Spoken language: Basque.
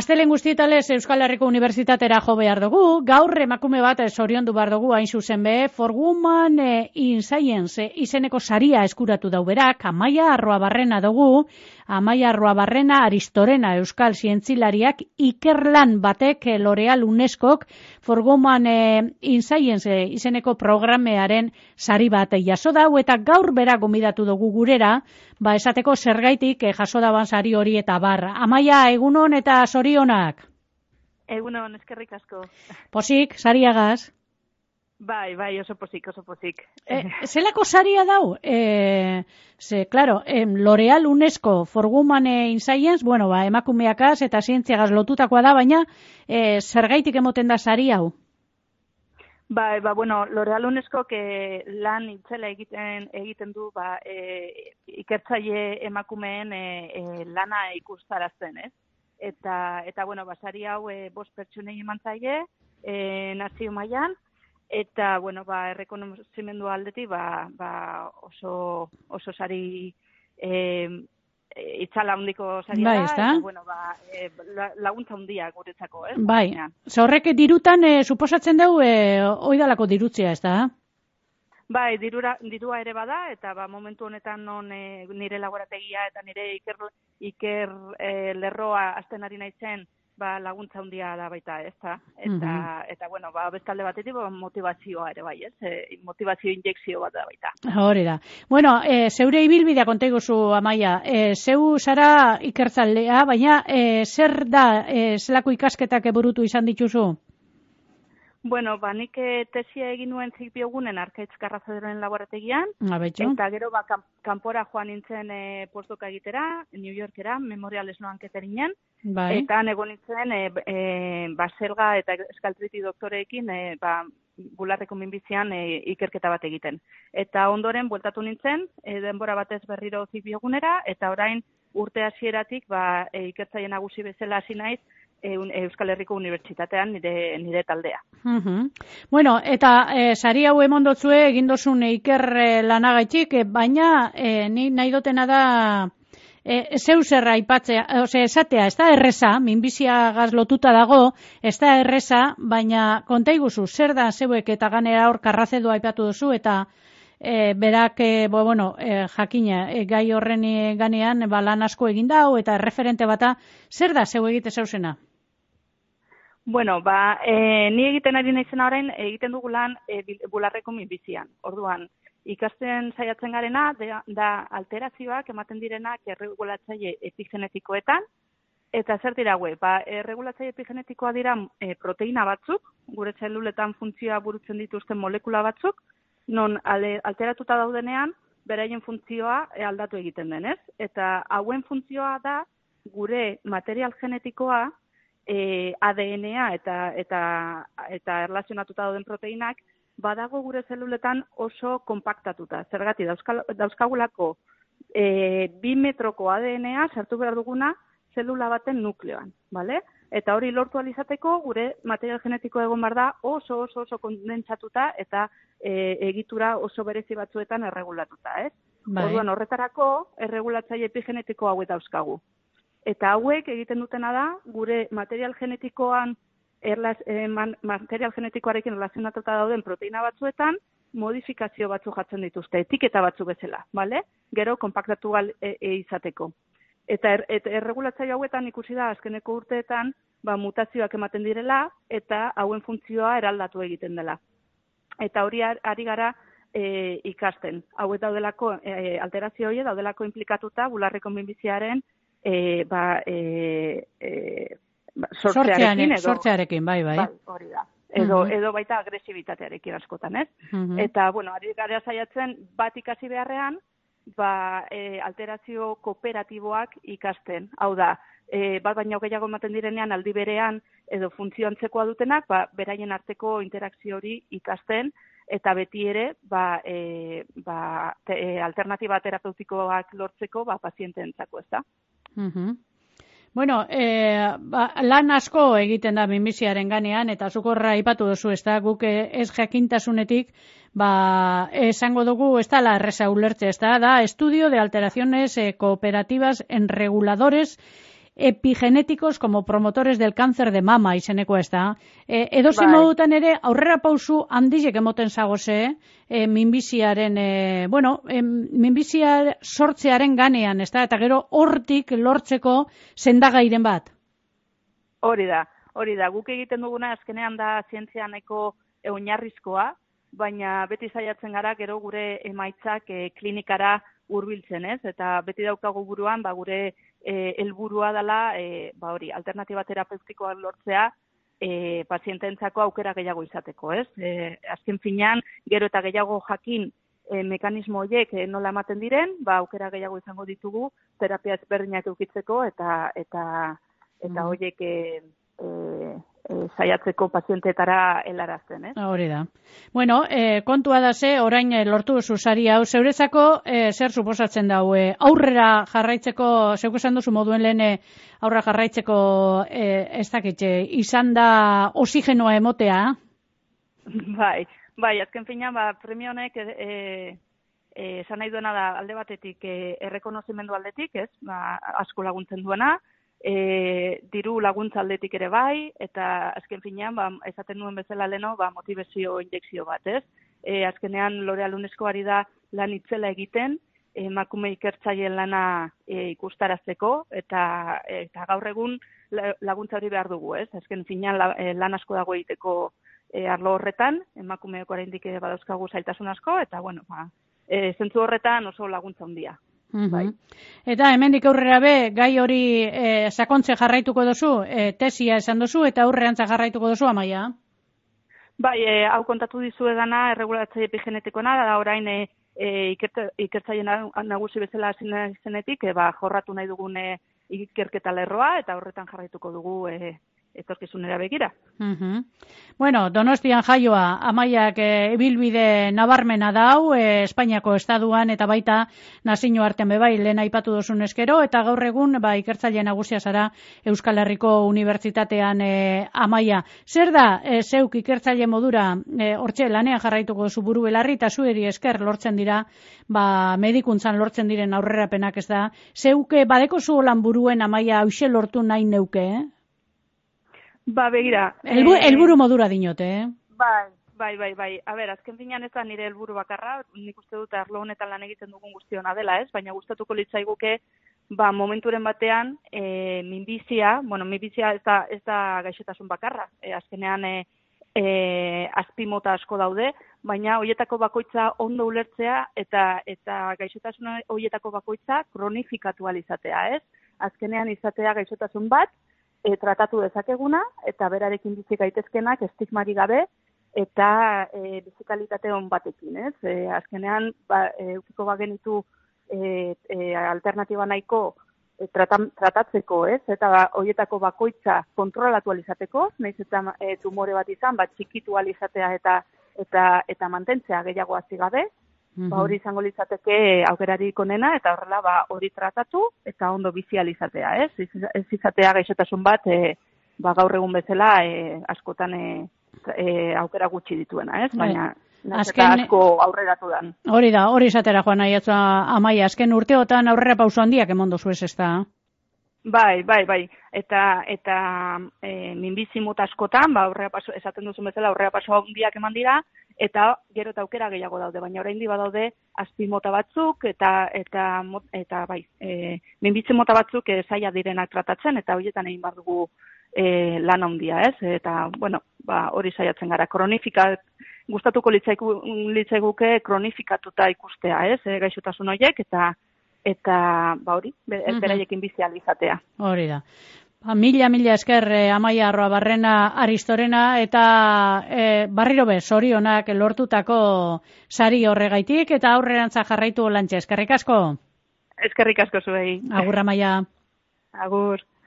Astelen guztietalez Euskal Herriko Unibertsitatera jo behar dugu, gaur emakume bat zoriondu behar dugu hain zuzen be, For Women in Science izeneko saria eskuratu dau berak, Amaia Arruabarrena dugu, Amaia Arruabarrena Aristorena Euskal Zientzilariak ikerlan batek L'Oreal UNESCOk For Women in Science izeneko programearen sari bat jaso dau eta gaur bera gomidatu dugu gurera, esateko zergaitik jaso daban sari hori eta bar. Amaia, egunon eta zorionak. Egunon, eskerrik asko. Posik, sariagaz? Bai, oso posik. Zelako saria dau? Claro, L'Oreal UNESCO For Women in Science, emakumeakaz eta zientziagaz lotutakoa da, baina zergaitik emoten da sari hau? L'Oreal UNESCO lan itzela egiten du ikertzaile emakumeen lana ikustarazten, ez? Eta sari hau 5 pertsonei eman zaie nazio mailan eta errekonozimendu aldetik oso sari itzala handiko saria da, eta laguntza handia guretzako, ez? Bai, horrek dirutan suposatzen dau oidalako dirutzea, ez da? Bai, dirua ere bada, eta momentu honetan nire laborategia eta nire iker lerroa azten ari naizen laguntza handia da baita, ez da? Eta bestalde batetik motivazioa ere bai, ez? Motivazio injekzio bat da baita. Hori da. Zeure ibilbidea konta iguzu, Amaia. Zeu zara ikertzalea, baina zer da zelako ikasketak burutu izan dituzu? Nik tesia egin nuen zikbiogunen Arkaitz Karrazadoren laborategian, eta gero kanpora joan nintzen postoka egitera, New Yorkera, Memorial Sloan Ketteringen, eta egon nintzen Baselga eta Eskaltriti doktoreekin bularreko minbizian ikerketa bat egiten. Eta ondoren bueltatu nintzen, denbora batez berriro zikbiogunera, eta orain urte hasieratik ikertzaile nagusi bezala hasi naiz, Euskal Herriko Unibertsitatean nire taldea. Eta sari hau emondotzue egin dozun iker lanagaitik, baina ni nahi dotena da zeu zerra aipatzea, esatea, ez da erreza, minbiziagaz lotuta dago, ez da erreza, baina konta iguzu, zer da zeuek eta ganera hor Karrazedo aipatu duzu, eta berak, jakina, gai horren ganean lan asko egin dau, eta referente bata, zer da zeu egite zeuzena? Ni egiten ari naizena orain egiten dugu lan bularreko minbizian. Orduan, ikasten saiatzen garena da alterazioak ematen direnak erregulatzaile epigenetikoetan, eta zer dira haue? Erregulatzaile epigenetikoa dira proteina batzuk, gure zeluletan funtzioa burutzen dituzten molekula batzuk, non alteratuta daudenean, beraien funtzioa aldatu egiten denez. Eta hauen funtzioa da gure material genetikoa, ADN-a eta erlazionatuta dauden proteinak badago gure zeluletan oso konpaktatuta. Zergatik dauzkagulako 2 metroko ADN-a sartu behar duguna zelula baten nukleoan, bale? Eta hori lortu alizateko gure material genetiko egon behar da oso kondentsatuta eta egitura oso berezi batzuetan erregulatuta, ez? Orduan horretarako erregulatzaile epigenetiko hauek dauzkagu. Eta hauek egiten dutena da, gure material genetikoan, material genetikoarekin relazionatuta dauden proteina batzuetan, modifikazio batzu jartzen dituzte, etiketa batzu bezala, bale? Gero, konpaktatu izateko. Eta erregulatzaile hauetan ikusi da, azkeneko urteetan, mutazioak ematen direla, eta hauen funtzioa eraldatu egiten dela. Eta hori ari gara ikasten. Hauet daudelako, alterazio hori daudelako implikatuta, bularreko minbiziaren sortzearekin, bai. Hori da. Edo baita agresibitatearekin askotan, ez? Eta, ari gara saiatzen bat ikasi beharrean, alterazio kooperatiboak ikasten. Hau da, bat baino gehiago ematen direnean aldi berean edo funtzio antzekoa dutenak, beraien arteko interakzio hori ikasten, eta beti ere, alternatiba terapeutikoak lortzeko, pazienteentzako, ez da? Lan asko egiten da minbiziaren ganean, eta zukorra aipatu duzu, ez da, guk ez jakintasunetik, esango dugu, ez da la erreza ulertze, ez da, estudio de alteraciones cooperativas en reguladores epigenéticos como promotores del cáncer de mama izeneko ez da. Edozein modutan ere aurrera pausu handiek emoten zagoze minbiziaren, minbizia sortzearen ganean, ez da? Eta gero hortik lortzeko sendagairen bat. Hori da. Guk egiten duguna azkenean da zientzia nahiko oinarrizkoa, baina beti saiatzen gara gero gure emaitzak klinikara hurbiltzen, ez? Eta beti daukagu buruan, gure helburua dela, alternatiba terapeutikoak lortzea, pazienteentzako aukera gehiago izateko, ez? Azken finean, gero eta gehiago jakin mekanismo horiek nola ematen diren, aukera gehiago izango ditugu terapia ezberdinak eukitzeko eta horiek saiatzeko pazienteetara helarazten, eh? Hori da. Bueno, kontua da orain lortu duzu sari hau, zeurezako zer suposatzen dau, aurrera jarraitzeko, zeuk esan duzu moduen lehen aurrera jarraitzeko ez dakit, izan da oxigenoa emotea? Bai, azken finean, premio honek esan nahi duena da alde batetik errekonozimendu aldetik, ez? Asko laguntzen duena, diru laguntza aldetik ere bai, eta azken finean, esaten nuen bezala leno, motivazio injekzio bat, ez? Azkenean L'Oreal UNESCO ari da lan itzela egiten, emakume ikertzaileen lana ikustarazteko, eta gaur egun laguntza hori behar dugu, ez? Azken finean lan asko dago egiteko arlo horretan, emakumeok oraindik badauzkagu zailtasun asko, eta zentzu horretan oso laguntza handia. Bai. Eta hemendik aurrera gai hori sakontze jarraituko duzu, tesia esan duzu, eta aurrerantza jarraituko duzu, Amaia? Bai, hau kontatu dizuegana erregulatzaile epigenetikoena, da orain ikertzaile nagusi bezala zenetik, jorratu nahi dugun ikerketa lerroa, eta horretan jarraituko dugu etorkizunera begira. Bueno, Donostian jaioa, Amaiak ibilbide nabarmena dau, Espainiako estaduan eta baita nazio artean bebai, lehen aipatu duzun eskero, eta gaur egun ikertzaile nagusia zara Euskal Herriko Unibertsitatean, Amaia. Zer da, zeuk ikertzaile modura, hortxe lanean jarraituko duzu buru belarri, eta zueri esker lortzen dira, medikuntzan lortzen diren aurrerapenak ez da. Zeuke badeko zu lan buruen, Amaia, hauxe lortu nahi neuke, Begira. Helburu modura dinote, Bai. A ber, azken finean ez da nire helburu bakarra, nik uste dut arlo honetan lan egiten dugun guztiona dela, ez? Baina gustatuko litzaiguke, momenturen batean, minbizia ez da gaixotasun bakarra. Azkenean azpimota asko daude, baina horietako bakoitza ondo ulertzea eta gaixotasun horietako bakoitza kronifikatu alizatea, ez? Azkenean izatea gaixotasun bat, tratatu dezakeguna, eta berarekin bizi gaitezkenak estigmari gabe, eta bizikalitate on batekin, ez? Azkenean, eukiko bagenitu alternatiba nahiko tratatzeko, ez? Eta horietako bakoitza kontrolatu alizateko, nahiz eta tumore bat izan, txikitu alizatea eta mantentzea gehiago hasi gabe, hori izango litzateke aukerarik onena, eta horrela hori tratatu eta ondo bizializatea, ez? Ez izatea gaixotasun bat, gaur egun bezala askotan aukera gutxi dituena, ez? Baina asko aurreratu dan. Hori da, hori izatera joan nahi Amaia, azken urteotan aurrera pauso handiak eman dozu ez da? Bai. Eta minbizi mota askotan, esaten duzun bezala aurrera paso handiak eman dira, eta gero eta aukera gehiago daude, baina oraindik badaude azpimota batzuk eta minbizi mota batzuk zaila direnak tratatzen, eta horietan egin behar dugu lan handia, ez? Eta, hori saiatzen gara, gustatuko litzaiguke kronifikatuta ikustea, ez? Gaixotasun horiek, eta hori, beraiekin bizializatea. Hori da. Mila esker Amaia Arroabarrena Aristorena, eta barriro zorionak lortutako sari horregaitik, eta aurrerantza jarraitu lantxe. Eskerrik asko. Eskerrik asko zuei. Agur, Amaia. Agur.